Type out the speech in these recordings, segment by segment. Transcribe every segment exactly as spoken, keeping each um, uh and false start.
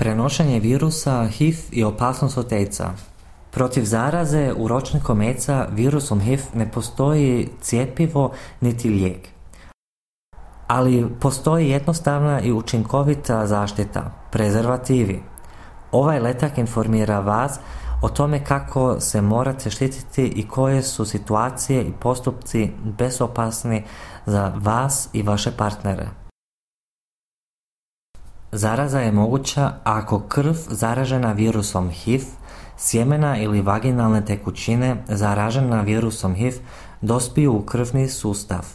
Prenošenje virusa H I V i opasnost od AIDS-a. Protiv zaraze uročnikom AIDS-a virusom H I V ne postoji cjepivo niti lijek. Ali postoji jednostavna i učinkovita zaštita, prezervativi. Ovaj letak informira vas o tome kako se morate štititi i koje su situacije i postupci bezopasni za vas i vaše partnere. Zaraza je moguća ako krv zaražena virusom H I V, sjemena ili vaginalne tekućine zaražena virusom H I V dospiju u krvni sustav.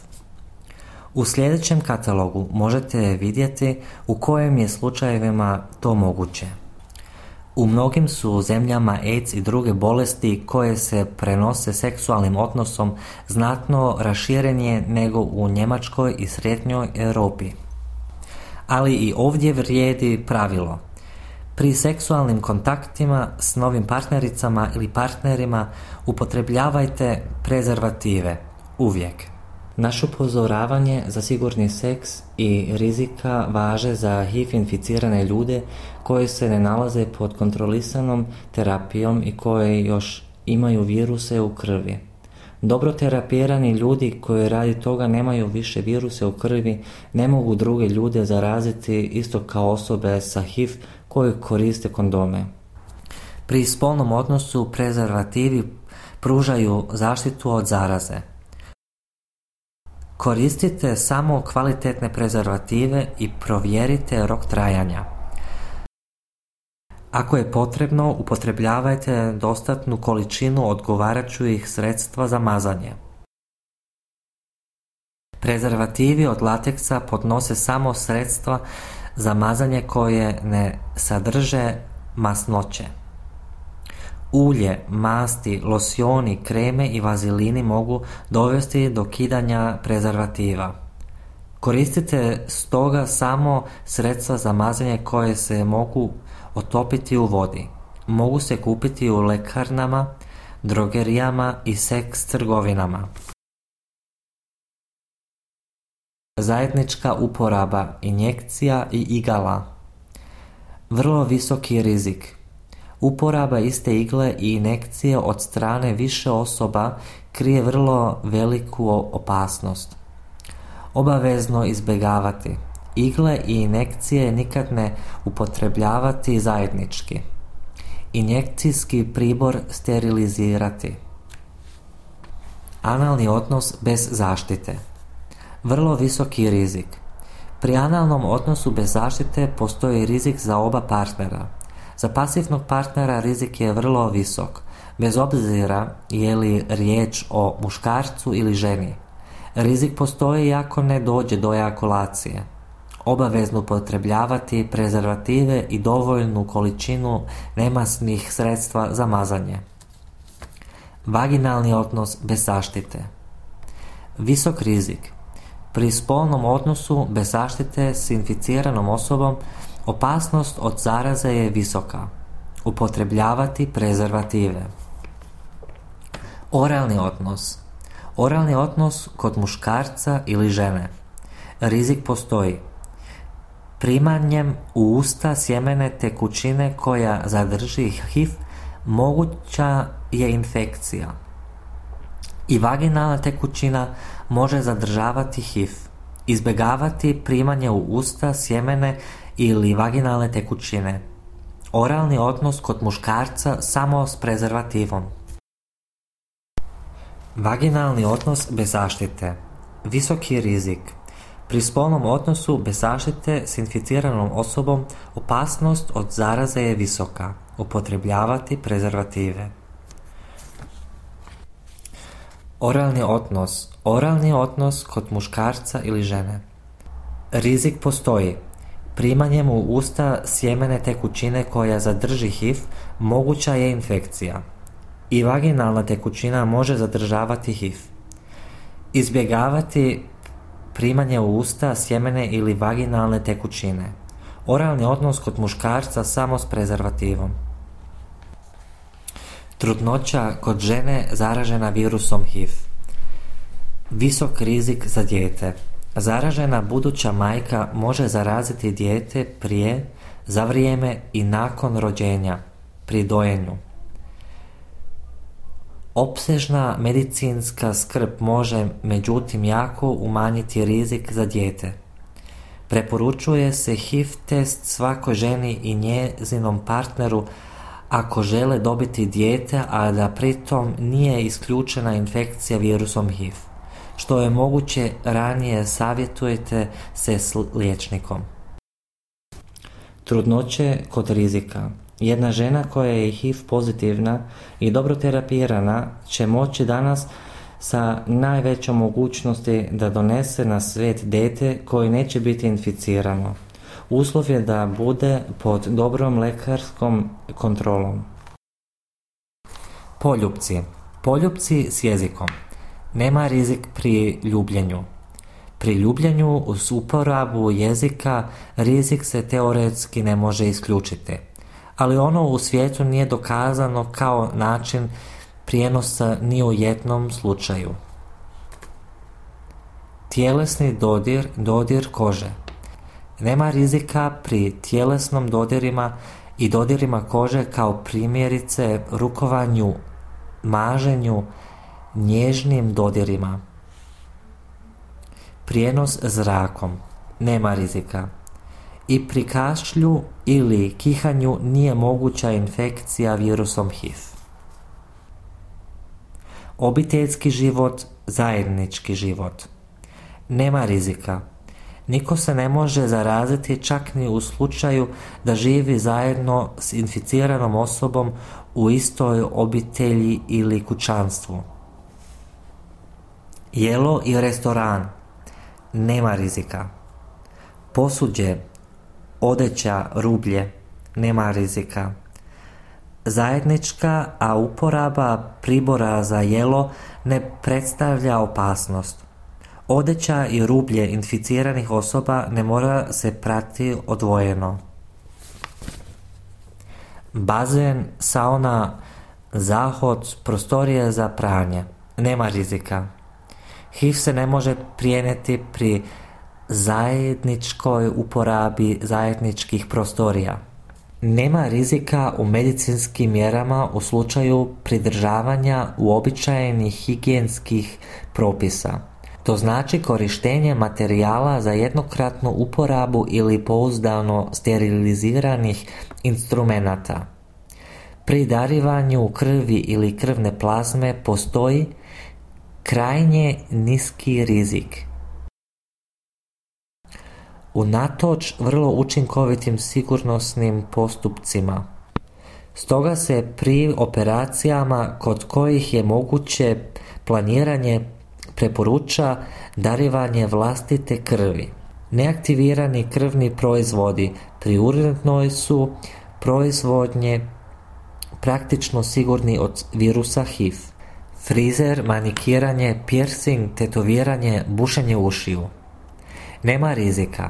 U sljedećem katalogu možete vidjeti u kojim je slučajevima to moguće. U mnogim su zemljama AIDS i druge bolesti koje se prenose seksualnim odnosom znatno raširenije nego u Njemačkoj i Srednjoj Europi. Ali i ovdje vrijedi pravilo. Pri seksualnim kontaktima s novim partnericama ili partnerima upotrebljavajte prezervative, uvijek. Naše upozoravanje za sigurni seks i rizika važe za H I V inficirane ljude koji se ne nalaze pod kontrolisanom terapijom i koji još imaju viruse u krvi. Dobro terapirani ljudi koji radi toga nemaju više viruse u krvi ne mogu druge ljude zaraziti isto kao osobe sa H I V koji koriste kondome. Pri spolnom odnosu prezervativi pružaju zaštitu od zaraze. Koristite samo kvalitetne prezervative i provjerite rok trajanja. Ako je potrebno, upotrebljavajte dostatnu količinu odgovarajućih sredstva za mazanje. Prezervativi od lateksa podnose samo sredstva za mazanje koje ne sadrže masnoće. Ulje, masti, losioni, kreme i vazelini mogu dovesti do kidanja prezervativa. Koristite stoga samo sredstva za mazanje koje se mogu otopiti u vodi. Mogu se kupiti u ljekarnama, drogerijama i seks trgovinama. Zajednička uporaba injekcija i igala. Vrlo visoki rizik. Uporaba iste igle i injekcije od strane više osoba krije vrlo veliku opasnost. Obavezno izbjegavati. Igle i injekcije nikad ne upotrebljavati zajednički. Injekcijski pribor sterilizirati. Analni odnos bez zaštite. Vrlo visoki rizik. Pri analnom odnosu bez zaštite postoji rizik za oba partnera. Za pasivnog partnera rizik je vrlo visok, bez obzira je li riječ o muškarcu ili ženi. Rizik postoji ako ne dođe do ejakulacije. Obavezno upotrebljavati prezervative i dovoljnu količinu nemasnih sredstva za mazanje. Vaginalni odnos bez zaštite. Visok rizik. Pri spolnom odnosu bez zaštite s inficiranom osobom opasnost od zaraze je visoka. Upotrebljavati prezervative. Oralni odnos. Oralni odnos kod muškarca ili žene. Rizik postoji. Primanjem u usta sjemene tekućine koja zadrži H I V moguća je infekcija. I vaginalna tekućina može zadržavati H I V. Izbjegavati primanje u usta sjemene ili vaginalne tekućine. Oralni odnos kod muškarca samo s prezervativom. Vaginalni odnos bez zaštite. Visoki rizik. Pri spolnom odnosu bez zaštite s inficiranom osobom opasnost od zaraze je visoka. Upotrebljavati prezervative. Oralni odnos. Oralni odnos kod muškarca ili žene. Rizik postoji. Primanjem u usta sjemene tekućine koja zadrži H I V moguća je infekcija. I vaginalna tekućina može zadržavati H I V. Izbjegavati primanje u usta sjemene ili vaginalne tekućine. Oralni odnos kod muškarca samo s prezervativom. Trudnoća kod žene zaražena virusom H I V. Visok rizik za dijete. Zaražena buduća majka može zaraziti dijete prije, za vrijeme i nakon rođenja, pri dojenju. Opsežna medicinska skrb može međutim jako umanjiti rizik za dijete. Preporučuje se H I V test svakoj ženi i njezinom partneru ako žele dobiti dijete, a da pritom nije isključena infekcija virusom H I V. Što je moguće ranije savjetujte se s liječnikom. Trudnoće kod rizika. Jedna žena koja je H I V pozitivna i dobro terapirana će moći danas sa najvećom mogućnosti da donese na svijet dijete koje neće biti inficirano. Uslov je da bude pod dobrom lekarskom kontrolom. Poljupci. Poljupci s jezikom. Nema rizik pri ljubljenju. Pri ljubljenju uz uporabu jezika rizik se teoretski ne može isključiti, ali ono u svijetu nije dokazano kao način prijenosa ni u jednom slučaju. Tjelesni dodir, dodir kože. Nema rizika pri tjelesnom dodirima i dodirima kože kao primjerice rukovanju, maženju, nježnim dodirima. Prijenos zrakom. Nema rizika. I pri kašlju ili kihanju nije moguća infekcija virusom H I V. Obiteljski život, zajednički život. Nema rizika. Niko se ne može zaraziti čak ni u slučaju da živi zajedno s inficiranom osobom u istoj obitelji ili kućanstvu. Jelo i restoran. Nema rizika. Posuđe, odeća, rublje. Nema rizika. Zajednička, a uporaba pribora za jelo ne predstavlja opasnost. Odeća i rublje inficiranih osoba ne mora se prati odvojeno. Bazen, sauna, zahod, prostorije za pranje. Nema rizika. H I V se ne može prijenijeti pri zajedničkoj uporabi zajedničkih prostorija. Nema rizika u medicinskim mjerama u slučaju pridržavanja uobičajenih higijenskih propisa. To znači korištenje materijala za jednokratnu uporabu ili pouzdano steriliziranih instrumenata. Pri darivanju krvi ili krvne plazme postoji krajnje niski rizik. Unatoč vrlo učinkovitim sigurnosnim postupcima. Stoga se pri operacijama kod kojih je moguće planiranje preporuča darivanje vlastite krvi. Neaktivirani krvni proizvodi pri urednoj su proizvodnje praktično sigurni od virusa H I V. Frizer, manikiranje, piercing, tetoviranje, bušenje ušiju. Nema rizika.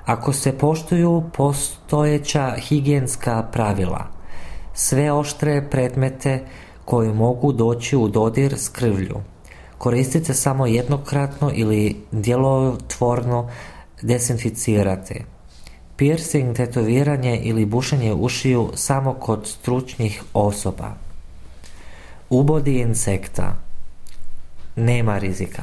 Ako se poštuju postojeća higijenska pravila, sve oštre predmete koji mogu doći u dodir s krvlju, koristite samo jednokratno ili djelotvorno dezinficirate. Piercing, tetoviranje ili bušenje ušiju samo kod stručnih osoba. Ubodi insekta. Nema rizika.